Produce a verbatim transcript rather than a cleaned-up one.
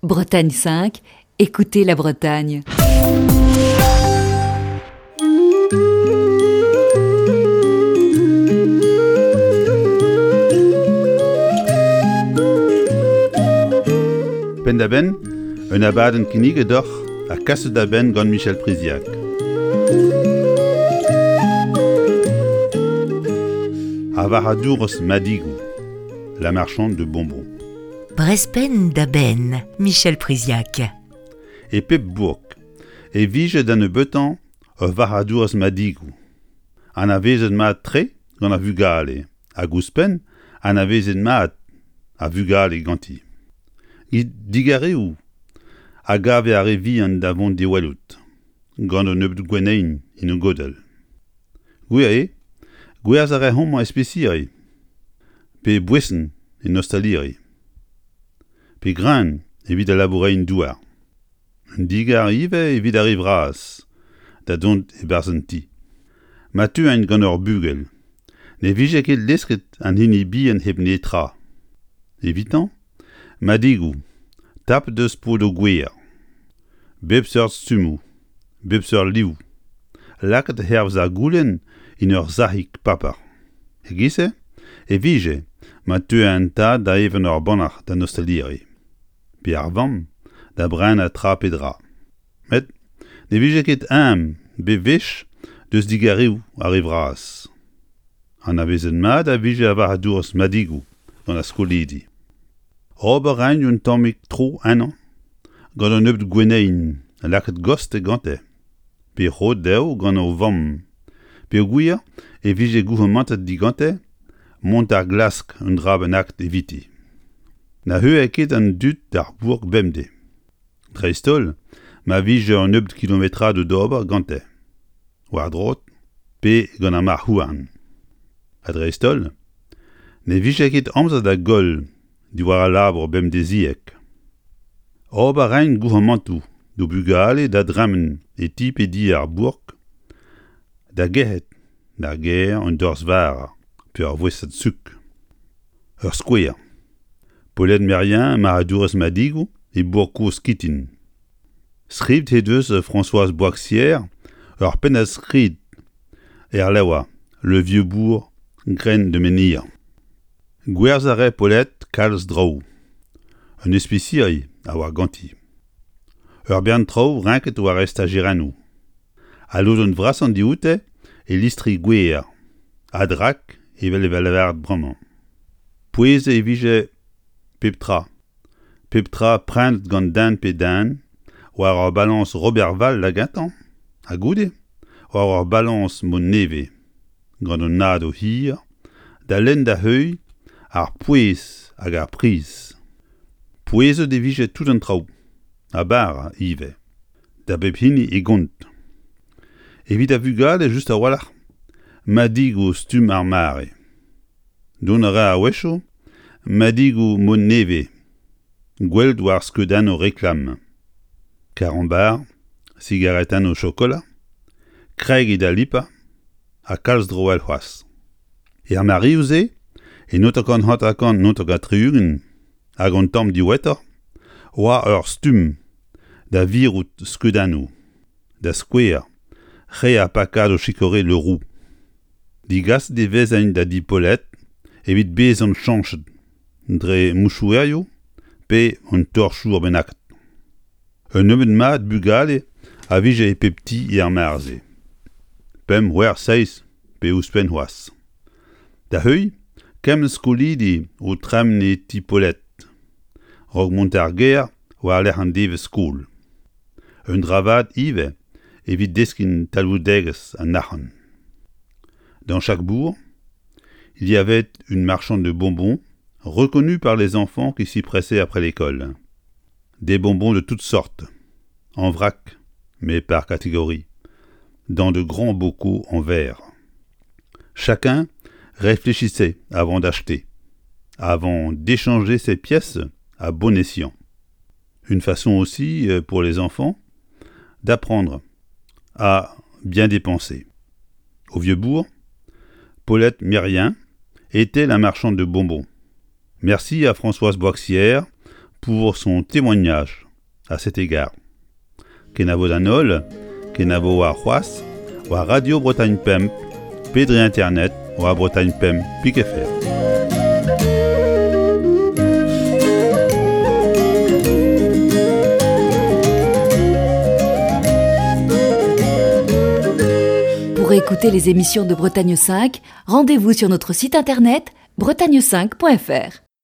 Bretagne cinq, écoutez la Bretagne. Penn-da-benn, un abadenn kinniget deoc'h ha kaset da benn gant Michel Priziac. Ar varc'hadourez madigoù, la marchande de bonbons. Brezh penn da benn, Michel Priziac. E pep bourk e vije da nebeutañ ur varc'hadourez madigoù. Anavezet mat-tre gant ar vugale, hag ouzhpenn anavezet mat ar vugale ganti. Digareoù a gave ar re vihan da vont d'e welout, gant un nebeud gwenneien en o godell. Gwir eo, gwerzh a rae homañ espisiri, pe boeson en ostaliri, pe greun evit al labourerien-douar. Un digar ivez evit ar re vras da dont e-barzh an ti. Ma teuent gant ur bugel, ne vije ket lesket an hini bihan hep netra. Evitañ, madigoù, tapet eus podoù gwer. Bep seurt stummoù, bep seurt liv, lakaet hervez ar goulenn en ur sac'hig paper. E-giz-se e vije ma teue an tad da evañ ur bannac'h d'an ostaliri, pe ar vamm da brenañ tra pe dra. Met ne vije ket ezhomm bep wech deus digareoù ar re vras. Anavezet mat a vije ar varc'hadourez madigoù gant ar skolidi. Ober a raent un tammig tro ennañ gant un nebeud gwenneien lakaet gostez gante, pe roet dezho gant o vamm, peogwir e vije gourc'hemennet digante mont da glask un dra bennak eviti. Na heuilhe ket an dud d'ar bourk bemdez. Dreist-holl ma vije un nebeud kilometradoù d'ober gante, war-droad pe gant ar marc'h-houarn. Ha dreist-holl, ne vije ket amzer da goll diwar al labour bemdeziek. Ober a raent gourc'hemennoù d'o bugale da dremen e ti pe di ar bourk, da gerc'hat d'ar gêr un dorzh vara pe ur voestad suk. Ur skouer. Paulette Merien, marc'hadourez madigoù e bourk kozh Kitin. Skrivet he deus Françoise Boixière ur pennad-skrid er levr Le Vieux Bourg, Graines de menhir. Gwerzh a rae Paulette kalz draoù. Un espisiri a oa ganti. Ur bern traoù renket war estajerennoù. Al lodenn vrasañ dioute e listri gwer, a-drak evel e vez lavaret bremañ. Pouezet e vije pep tra. Pep tra prenet gant den pe den, war ur balañs Roberval da gentañ, ha goude war ur balañs mod nevez, gant un nadoz hir, da lenn da heuilh ar pouez hag ar priz. Pouezet e vije tout an traoù, ha bara ivez, da bep hini e gont. Evit ar vugale just a-walc'h, madigoù stumm ar mare. Dont a ra a-wechoù madigoù mod nevez, gwelet war skeudennoù reklam. Karambar, sigaretennoù chokolat, kregiñ da lipañ, ha kalz draoù all c'hoazh. Er mareoù-se, e naontek hanter-kant naontek ha tri-ugent hag un tamm diwezhatoc'h, oa ur stumm da virout skeudennoù, da skouer re ar pakadoù chikorê Le Roux. Digaset e vezent da di Paulette evit bezañ chañchet dre mouchouerioù pe un torchour bennak. Un nebeud mat bugale a vije e pep ti er mare-se. Pemp, c'hwec'h, seizh pe ouzhpenn c'hoazh. Da heuilh, kement skolidi o tremen e ti Paulette, a-raok mont d'ar gêr war-lerc'h an devezh skol. Un dra vat ivez evit deskiñ talvoudegezh an arc'hant. Dans chaque bourg, il y avait une marchande de bonbons reconnue par les enfants qui s'y pressaient après l'école. Des bonbons de toutes sortes, en vrac, mais par catégorie, dans de grands bocaux en verre. Chacun réfléchissait avant d'acheter, avant d'échanger ses pièces à bon escient. Une façon aussi pour les enfants d'apprendre à bien dépenser. Au Vieux-Bourg, Paulette Mérien était la marchande de bonbons. Merci à Françoise Boixière pour son témoignage à cet égard. Kenavo d'an holl, kenavo war c'hoazh, war Radio Bretagne Pemp, pe dre internet, war Bretagne Pemp pik F R. Pour écouter les émissions de Bretagne cinq, rendez-vous sur notre site internet bretagne cinq point F R.